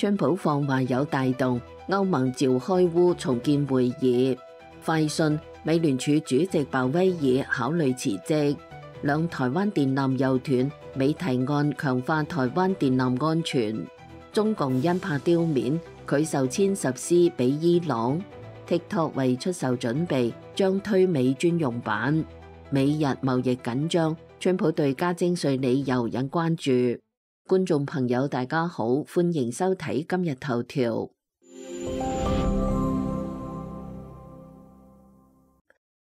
川普放話有帶動歐盟召開烏重建會議。快訊，美聯儲主席鮑威爾考慮辭職。兩台灣電纜又斷，美提案強化台灣電纜安全。中共因怕丟面，拒售殲10 C 俾伊朗。TikTok 為出售準備，將推美專用版。美日貿易緊張，川普對加徵稅理由引關注。觀眾朋友大家好，歡迎收睇今日頭條。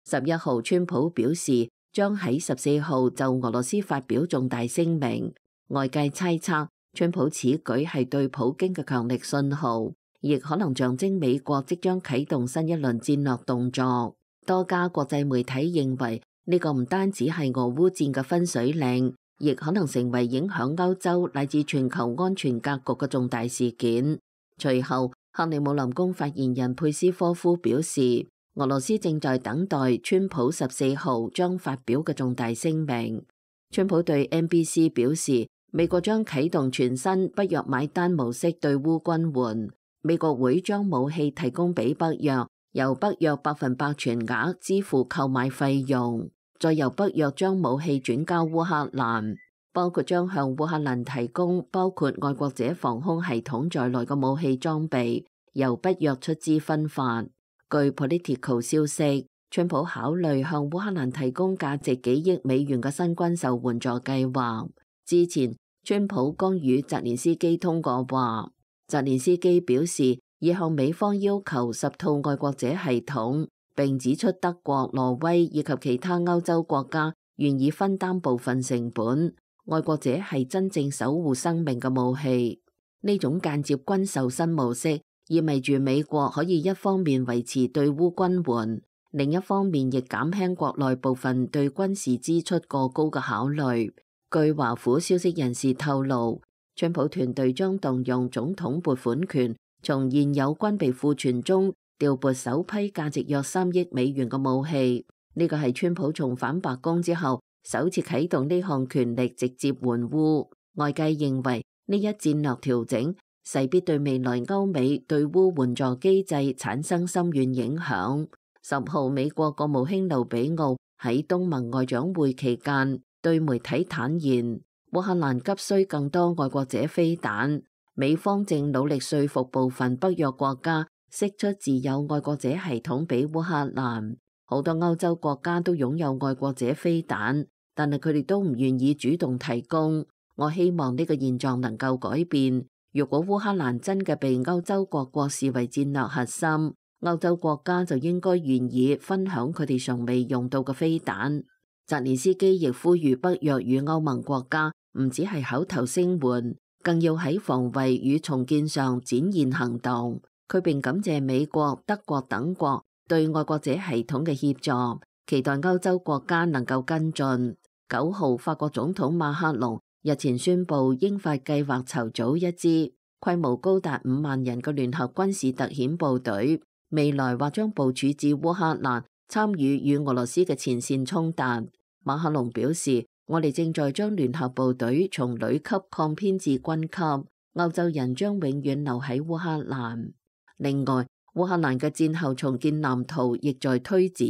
11號，川普表示將喺14號就俄羅斯發表重大聲明。外界猜測，川普此舉係對普京嘅強力信號，亦可能象徵美國即將啟動新一輪戰略動作。多家國際媒體認為，呢個唔單止係俄烏戰嘅分水嶺，亦可能成為影響歐洲乃至全球安全格局嘅重大事件。隨後，克里姆林宮發言人佩斯科夫表示，俄羅斯正在等待川普14號將發表嘅重大聲明。川普對 NBC 表示，美國將啟動全新北約買單模式對烏軍援，美國會將武器提供俾北約，由北約100%全額支付購買費用，再由北約將武器轉交烏克蘭，包括將向烏克蘭提供包括愛國者防空系統在內嘅武器裝備，由北約出資分發。據 Politico 消息，川普考慮向烏克蘭提供價值幾億美元嘅新軍售援助計劃。之前，川普剛與澤連斯基通過話，澤連斯基表示已向美方要求10套愛國者系統，並指出德國、挪威以及其他歐洲國家願意分擔部分成本。愛國者係真正守護生命嘅武器。呢種間接軍售新模式意味住美國可以一方面維持對烏軍援，另一方面亦減輕國內部分對軍事支出過高嘅考慮。據華府消息人士透露，川普團隊將動用總統撥款權，從現有軍備庫存中調撥首批價值約3億美元嘅武器。呢個係川普重返白宮之後首次啟動呢項權力直接援烏。外界認為呢一戰略調整勢必對未來歐美對烏援助機制產生深遠影響。10號，美國國務卿盧比奧喺東盟外長會期間對媒體坦言，烏克蘭急需更多愛國者飛彈，美方正努力說服部分北約國家釋出自有愛國者系統俾烏克蘭。好多歐洲國家都擁有愛國者飛彈，但係佢哋都唔願意主動提供。我希望呢個現狀能夠改變。如果烏克蘭真嘅被歐洲各國視為戰略核心，歐洲國家就應該願意分享佢哋尚未用到嘅飛彈。澤連斯基亦呼籲北約與歐盟國家唔只係口頭聲援，更要喺防衛與重建上展現行動。佢並感謝美國、德國等國對愛國者系統嘅協助，期待歐洲國家能夠跟進。9號，法國總統馬克龍日前宣布，英法計劃籌組一支規模高達5萬人嘅聯合軍事特遣部隊，未來或將部署至烏克蘭，參與與俄羅斯嘅前線衝突。馬克龍表示，我哋正在將聯合部隊從旅級擴編至軍級，歐洲人將永遠留喺烏克蘭。另外，烏克蘭嘅戰後重建藍圖亦在推展。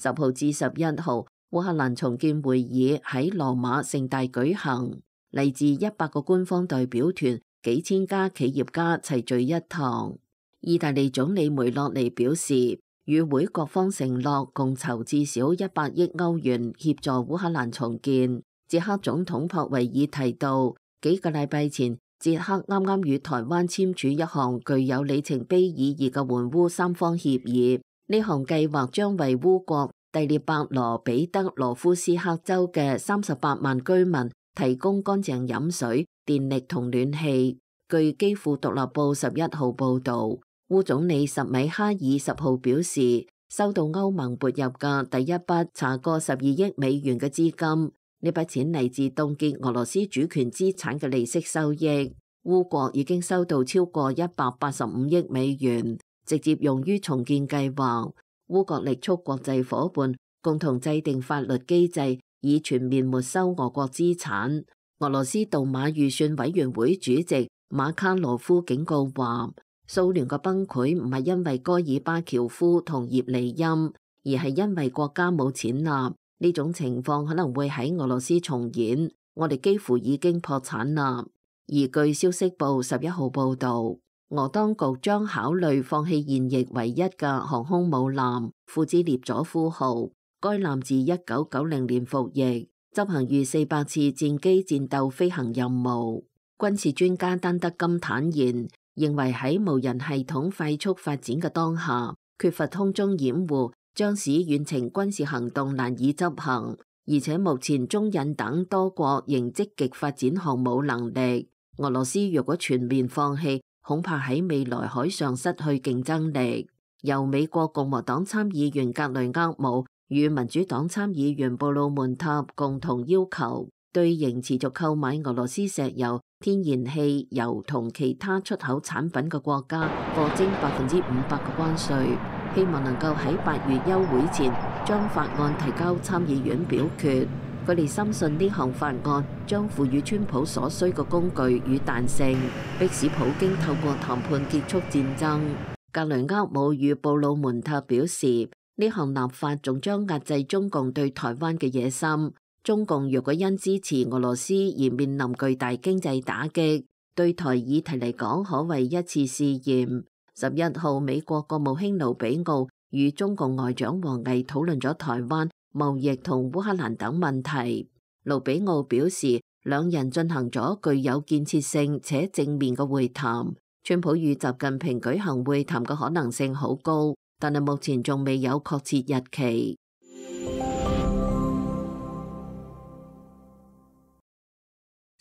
10號至11號，烏克蘭重建會議喺羅馬盛大舉行，嚟自100個官方代表團、幾千家企業家齊聚一堂。意大利總理梅洛尼表示，與會各方承諾共籌至少100億歐元協助烏克蘭重建。捷克總統普維爾提到，幾個禮拜前，捷克啱啱與台灣簽署一項具有里程碑意義嘅援烏三方協議。呢項計劃將為烏國第聶伯羅彼得羅夫斯克州嘅38萬居民提供乾淨飲水、電力同暖氣。據基輔獨立報11號報導，烏總理什米哈爾10號表示，收到歐盟撥入嘅第一筆查過12億美元嘅資金。呢筆錢嚟自凍結俄羅斯主權資產嘅利息收益。烏國已經收到超過185億美元，直接用於重建計劃。烏國力促國際夥伴共同制定法律機制，以全面沒收俄國資產。俄羅斯杜馬預算委員會主席馬卡羅夫警告話，蘇聯嘅崩潰唔係因為戈爾巴喬夫同葉利欽，而係因為國家冇錢啦。呢種情況可能會喺俄羅斯重演，我哋幾乎已經破產啦。而據消息報11號報導，俄當局將考慮放棄現役唯一嘅航空母艦庫茲列佐夫號，該艦自1990年服役，執行逾400次戰機戰鬥飛行任務。軍事專家丹德金坦言，認為喺無人系統快速發展嘅當下，缺乏空中掩護將使遠程軍事行動難以執行，而且目前中印等多國仍積極發展航母能力。俄羅斯若果全面放棄，恐怕喺未來海上失去競爭力。由美國共和黨參議員格雷厄姆與民主黨參議員布魯門塔共同要求，對仍持續購買俄羅斯石油、天然氣、油同其他出口產品嘅國家課徵500%嘅關稅，希望能夠喺8月休會前將法案提交參議院表決。佢哋深信呢項法案將賦予川普所需嘅工具與彈性，迫使普京透過談判結束戰爭。格雷厄姆與布魯門塔表示，呢項立法仲將壓制中共對台灣嘅野心。中共若果因支持俄羅斯而面臨巨大經濟打擊，對台議題嚟講可謂一次試驗。11號，美國國務卿盧比奧與中共外長王毅討論咗台灣、貿易同烏克蘭等問題。盧比奧表示，兩人進行咗具有建設性且正面嘅會談。川普與習近平舉行會談嘅可能性好高，但係目前仲未有確切日期。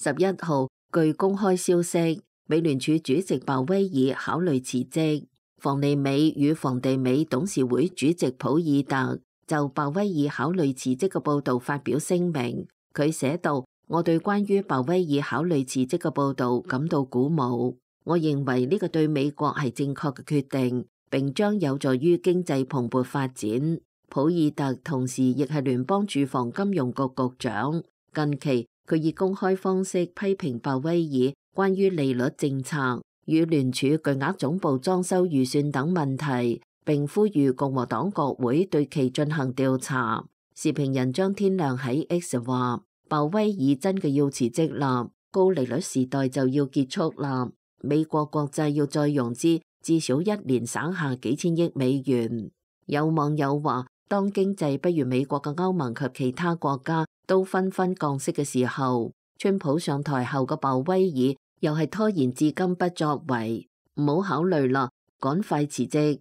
11號，據公開消息，美聯儲主席鮑威爾考慮辭職。房利美與房地美董事會主席普爾特就鮑威爾考慮辭職嘅報導發表聲明。佢寫道：我對關於鮑威爾考慮辭職嘅報導感到鼓舞。我認為呢個對美國係正確嘅決定，並將有助於經濟蓬勃發展。普爾特同時亦係聯邦住房金融局局長。近期佢以公開方式批評鮑威爾關於利率政策與聯儲巨額總部裝修預算等問題，並呼籲共和黨國會對其進行調查。時評人張天亮喺 X 話：鮑威爾真嘅要辭職啦，高利率時代就要結束啦。美國國債要再融資，至少一年省下幾千億美元。有網友話：當經濟不如美國嘅歐盟及其他國家都紛紛降息嘅時候，川普上台後嘅鮑威爾又係拖延至今不作為，唔好考慮啦，趕快辭職。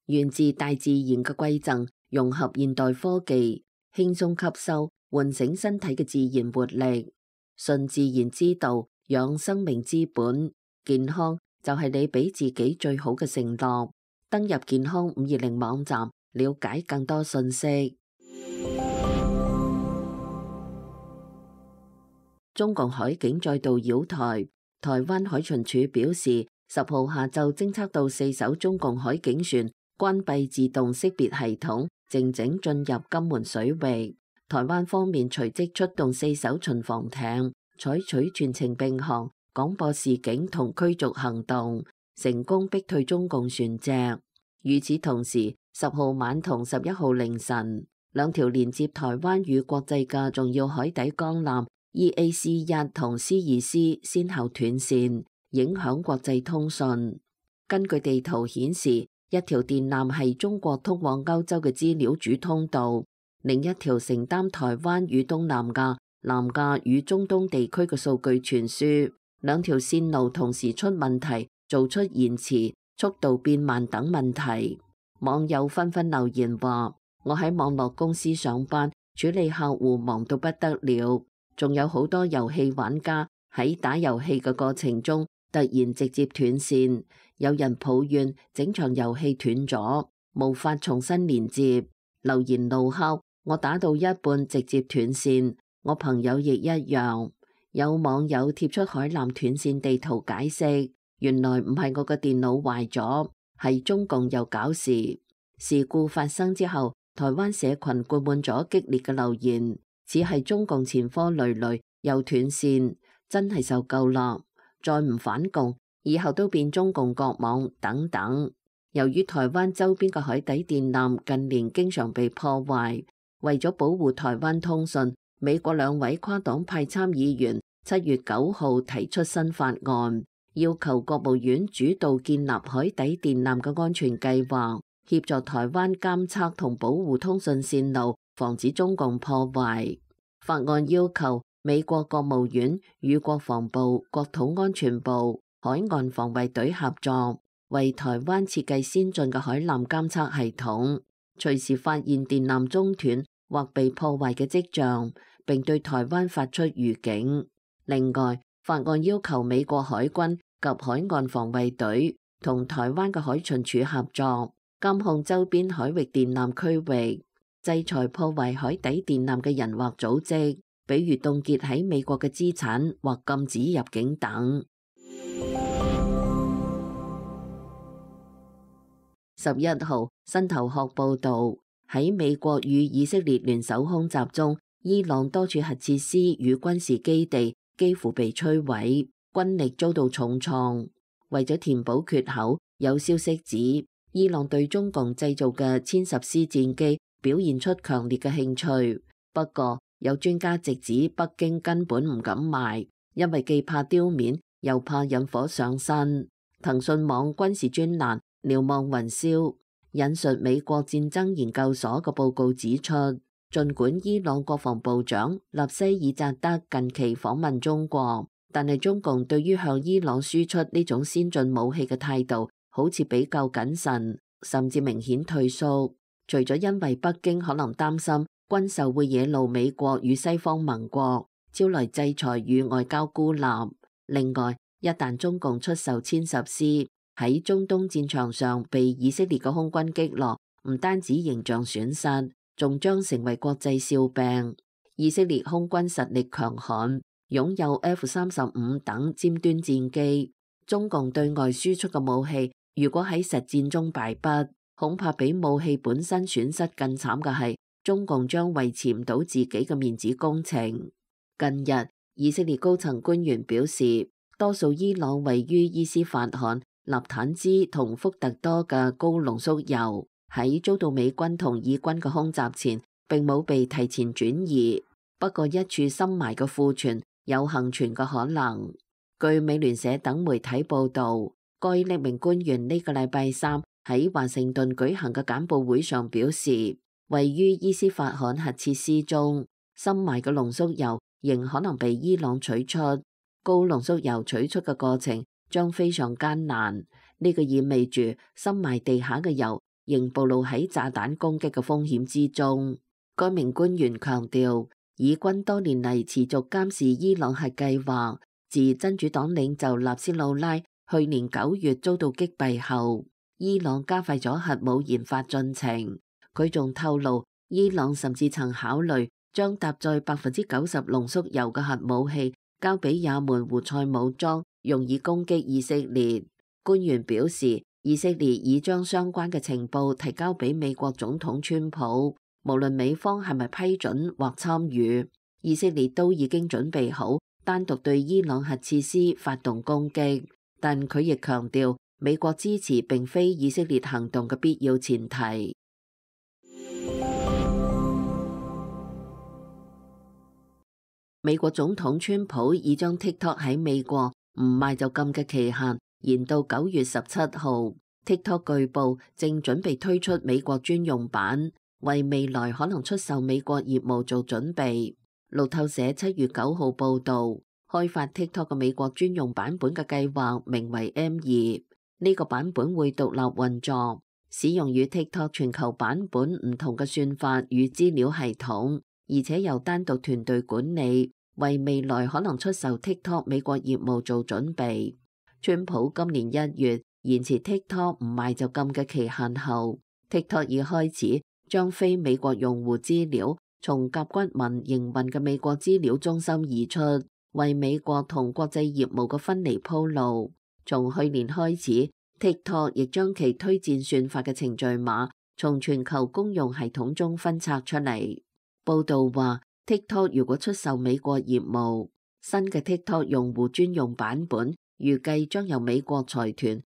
源自大自然嘅饋贈，融合現代科技，輕鬆吸收，喚醒身體嘅自然活力。順自然之道，養生命之本，健康就係你俾自己最好嘅承諾。登入健康520網站，了解更多信息。中共海警再度擾台，台灣海巡署表示，10號下晝偵測到4艘中共海警船關閉自動識別系統，靜靜進入金門水域。台灣方面隨即出動4艘巡防艇，採取全程並航、廣播示警同驅逐行動，成功逼退中共船隻。與此同時，10號晚同11號凌晨，兩條連接台灣與國際嘅重要海底鋼纜 EAC-1 同 C-2C 先後斷線，影響國際通訊。根據地圖顯示，一條電纜係中國通往歐洲嘅資料主通道，另一條承擔台灣與東南亞、南亞與中東地區嘅數據傳輸。兩條線路同時出問題，做出延遲、速度變慢等問題。網友紛紛留言話：我喺網絡公司上班，處理客戶忙到不得了，仲有好多遊戲玩家喺打遊戲嘅過程中突然直接斷線，有人抱怨整場遊戲斷咗，無法重新連接，留言怒敲我打到一半直接斷線，我朋友亦一樣。有網友貼出海纜斷線地圖解釋，原來唔係我嘅電腦壞咗，係中共又搞事。事故發生之後，台灣社群灌滿咗激烈嘅留言，似係中共前科累累又斷線，真係受夠啦，再唔反共，以後都變中共國網等等。由於台灣周邊嘅海底電纜近年經常被破壞，為咗保護台灣通訊，美國兩位跨黨派參議員7月9號提出新法案，要求國務院主導建立海底電纜嘅安全計劃，協助台灣監測同保護通訊線路，防止中共破壞。法案要求美國國務院與國防部、國土安全部、海岸防衛隊合作，為台灣設計先進嘅海纜監測系統，隨時發現電纜中斷或被破壞嘅跡象，並對台灣發出預警。另外，法案要求美國海軍及海岸防衛隊同台灣嘅海巡署合作，監控周邊海域電纜區域，制裁破壞海底電纜嘅人或組織，比如凍結喺美國嘅資產或禁止入境等。11號，新頭殼報導，喺美國與以色列聯手空襲中，伊朗多處核設施與軍事基地幾乎被摧毀，軍力遭到重創。為咗填補缺口，有消息指伊朗對中共製造嘅殲十 C 戰機表現出強烈嘅興趣。不過，有專家直指北京根本唔敢賣，因為既怕丟面，又怕引火上身。騰訊網軍事專欄瞭望雲霄引述美國戰爭研究所嘅報告指出，儘管伊朗國防部長納西爾扎德近期訪問中國，但係中共對於向伊朗輸出呢種先進武器嘅態度好似比較謹慎，甚至明顯退縮。除咗因為北京可能擔心軍售會惹怒美國與西方盟國，招來制裁與外交孤立，另外一旦中共出售殲十 C，喺中東戰場上被以色列嘅空軍擊落，唔單止形象損失，仲將成為國際笑柄。以色列空軍實力強悍，擁有 F-35等尖端戰機。中共對外輸出嘅武器，如果喺實戰中敗北，恐怕比武器本身損失更慘嘅係，中共將維持唔到自己嘅面子工程。近日，以色列高層官員表示，多數伊朗位於伊斯法罕、納坦茲同福特多嘅高濃縮鈾喺遭到美軍同以軍嘅空襲前並冇被提前轉移，不過一處深埋嘅庫存有幸存嘅可能。據美聯社等媒體報導，該匿名官員呢個禮拜三喺華盛頓舉行嘅簡報會上表示，位於伊斯法罕核設施中深埋嘅濃縮鈾仍可能被伊朗取出，高濃縮鈾取出嘅過程將非常艱難，呢個意味住深埋地下嘅鈾仍暴露喺炸彈攻擊嘅風險之中。該名官員強調，以軍多年嚟持續監視伊朗核計劃，自真主黨領袖納斯魯拉去年9月遭到擊斃後，伊朗加快咗核武研發進程。佢仲透露，伊朗甚至曾考慮將搭載90%濃縮鈾嘅核武器交俾也門胡塞武裝，用以攻擊以色列。官員表示，以色列已將相關嘅情報提交俾美國總統川普，無論美方係咪批准或參與，以色列都已經準備好單獨對伊朗核設施發動攻擊。但佢亦強調，美國支持並非以色列行動嘅必要前提。美國總統川普已將 TikTok 喺美國唔賣就禁嘅期限延到9月17號。TikTok 據報正準備推出美國專用版，為未來可能出售美國業務做準備。路透社7月9號報導，開發 TikTok 嘅美國專用版本嘅計劃名為 M2，呢個版本會獨立運作，使用與 TikTok 全球版本唔同嘅算法與資料系統，而且由單獨團隊管理，為未來可能出售 TikTok 美國業務做準備。川普今年1月延遲 TikTok 唔賣就禁嘅期限後，TikTok 已開始將非美國用戶資料從甲骨文營運嘅美國資料中心移出，為美國同國際業務嘅分離鋪路。從去年開始，TikTok 亦將其推薦算法嘅程序碼從全球公用系統中分拆出嚟。報導話，TikTok 如果出售美國業務，新嘅 TikTok 用戶專用版本預計將由美國財團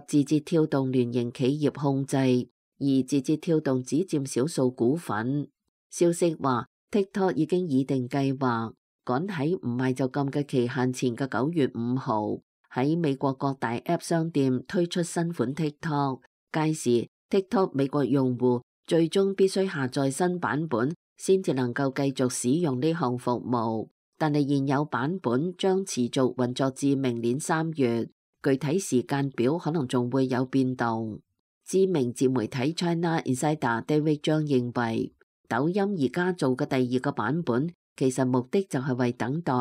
及字節跳動聯營企業控制，而字節跳動只佔少數股份。消息話 TikTok 已經擬定計劃，趕喺唔賣就禁嘅期限前嘅9月5號喺美國各大 App 商店推出新款 TikTok。屆時 TikTok 美國用戶最終必須下載新版本先至能夠繼續使用呢項服務，但係現有版本將持續運作至明年3月，具體時間表可能仲會有變動。知名自媒體 China Insider David 張認為，抖音而家做嘅第二個版本其實目的就係為等待，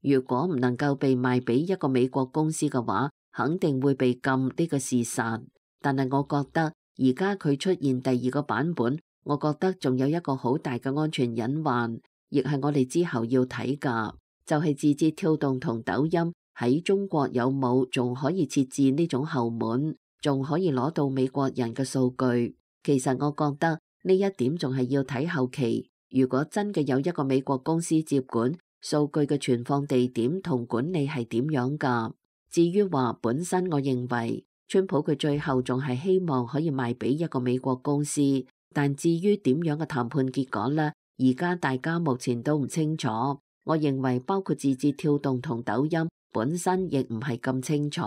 如果唔能夠被賣俾一個美國公司嘅話，肯定會被禁呢個事實。但係我覺得而家佢出現第二個版本，我覺得仲有一個好大嘅安全隱患，亦係我哋之後要睇㗎，就係字節跳動同抖音喺中國有冇仲可以設置呢種後門，仲可以攞到美國人嘅數據。其實我覺得呢一點仲係要睇後期，如果真嘅有一個美國公司接管數據嘅存放地點同管理係點樣㗎。至於話本身，我認為川普佢最後仲係希望可以賣俾一個美國公司，但至於點樣嘅談判結果呢？而家大家目前都唔清楚。我認為包括字節跳動同抖音本身亦唔係咁清楚。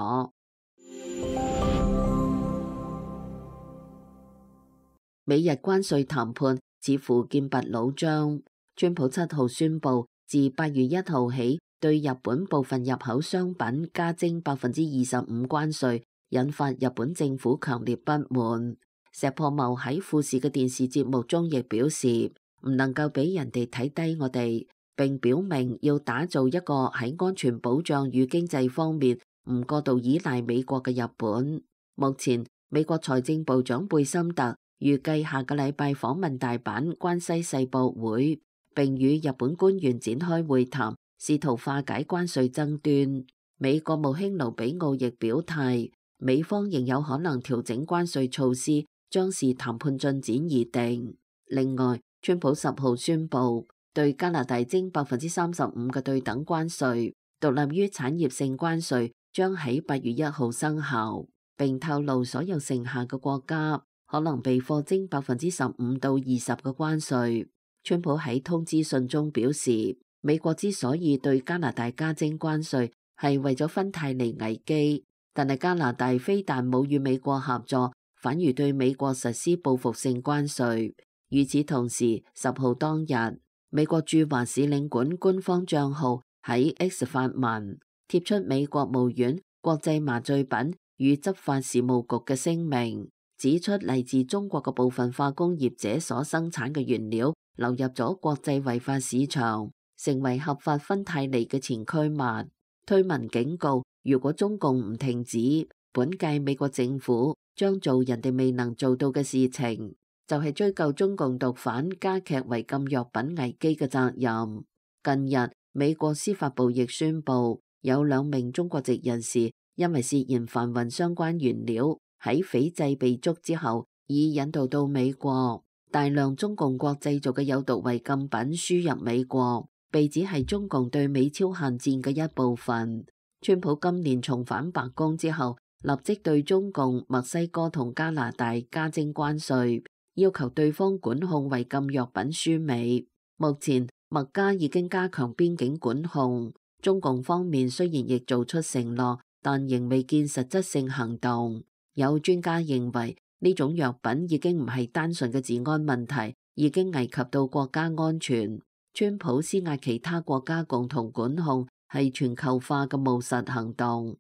美日關稅談判似乎劍拔弩張。川普7號宣布，自8月1號起對日本部分入口商品加徵25%關稅，引發日本政府強烈不滿。石破茂喺富士嘅電視節目中亦表示，唔能夠俾人哋睇低我哋，並表明要打造一個喺安全保障與經濟方面唔過度依賴美國嘅日本。目前美國財政部長貝森特預計下個禮拜訪問大阪關西世博會，並與日本官員展開會談，試圖化解關稅爭端。美國務卿盧比奧亦表態，美方仍有可能調整關稅措施，將視談判進展而定。另外，川普10號宣布對加拿大徵35%嘅對等關稅，獨立於產業性關稅將喺8月1號生效，並透露所有剩下嘅國家可能被課徵15%到20%嘅關稅。川普喺通知信中表示，美國之所以對加拿大加徵關稅，係為咗芬太尼危機，但係加拿大非但冇與美國合作，反而對美國實施報復性關稅。與此同時，10號當日，美國駐華使領館官方帳號喺 X 發文，貼出美國務院國際麻醉品與執法事務局嘅聲明，指出嚟自中國嘅部分化工業者所生產嘅原料流入咗國際違法市場，成為合法芬太尼嘅前驅物。推文警告，如果中共唔停止，本屆美國政府將做人哋未能做到嘅事情，就係追究中共毒販加劇違禁藥品危機嘅責任。近日，美國司法部亦宣布，有2名中國籍人士因為涉嫌販運相關原料，喺斐濟被捉之後，已引渡到美國。大量中共國製造嘅有毒違禁品輸入美國，被指係中共對美超限戰嘅一部分。川普今年重返白宮之後，立即對中共、墨西哥同加拿大加徵關稅，要求對方管控違禁藥品輸美。目前，墨加已經加強邊境管控，中共方面雖然亦做出承諾，但仍未見實質性行動。有專家認為，呢種藥品已經唔係單純嘅治安問題，已經危及到國家安全。川普施壓其他國家共同管控，係全球化嘅務實行動。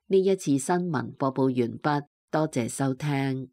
呢一次新聞播報完畢，多謝收聽。